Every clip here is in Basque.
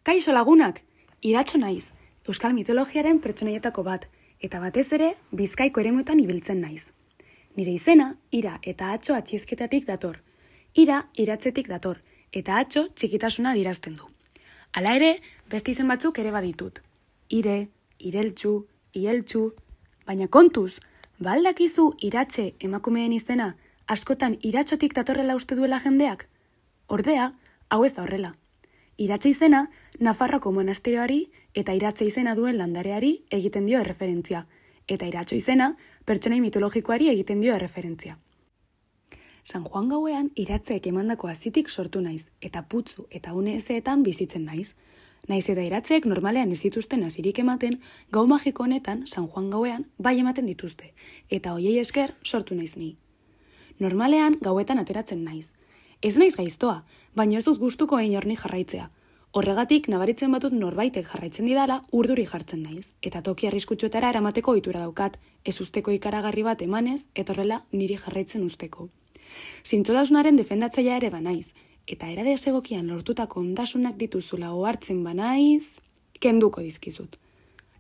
Kaixo lagunak, Iratxo naiz, euskal mitologiaren pertsonaietako bat, eta batez ere Bizkaiko eremuetan ibiltzen naiz. Nire izena, Ira eta Atxo atxizketatik dator. Ira, iratzetik dator, eta Atxo txikitasuna adierazten du. Hala ere, beste izen batzuk ere baditut. Ire, Ireltxu, Ieltxu, baina kontuz, ba al dakizu Iratxe emakumeen izena askotan Iratxotik datorrela uste duela jendeak? Ordea, hau ez da horrela. Iratxe izena, Nafarroko monasterioari eta Iratxe izena duen landareari egiten dio erreferentzia, eta Iratxo izena, pertsonai mitologikoari egiten dio erreferentzia. San Juan gauean Iratzeek emandako hazitik sortu naiz, eta putzu eta une ezeetan bizitzen naiz. Naiz eta Iratzeek normalean ez dituzten hazirik ematen, gau magiko honetan, San Juan gauean, bai ematen dituzte, eta hoiei esker sortu naiz ni. Normalean gauetan ateratzen naiz. Ez naiz gaiztoa, baina ez dut gustuko inorni jarraitzea. Horregatik nabaritzen batut norbaitek jarraitzen didala urduri jartzen naiz, eta toki arriskutsuetara eramateko ohitura daukat, ez usteko ikaragarri bat emanez, eta horrela niri jarraitzen usteko. Zintzotasunaren defendatzailea ere banaiz, eta era desegokian lortutako ondasunak dituzula ohartzen banaiz, kenduko dizkizut.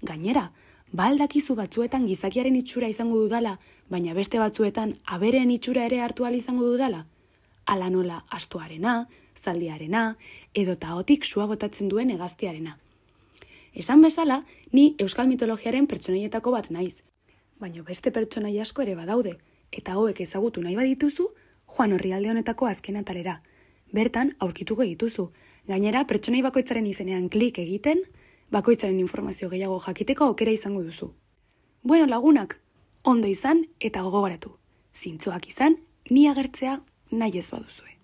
Gainera, ba al dakizu batzuetan gizakiaren itxura izango dudala, baina beste batzuetan abereen itxura ere hartu ahal izango dudala? Hala nola astoarena, zaldiarena, edo taotik sua botatzen duen hegaztiarena. Esan bezala, ni euskal mitologiaren pertsonaietako bat naiz. Baina beste pertsonai asko ere badaude, eta hauek ezagutu nahi badituzu, joan orrialde honetako azken atalera. Bertan aurkituko dituzu. Gainera, pertsonai bakoitzaren izenean klik egiten, bakoitzaren informazio gehiago jakiteko aukera izango duzu. Bueno lagunak, ondo izan eta gogoratu. Zintzoak izan, ni agertzea nahi ez baduzue.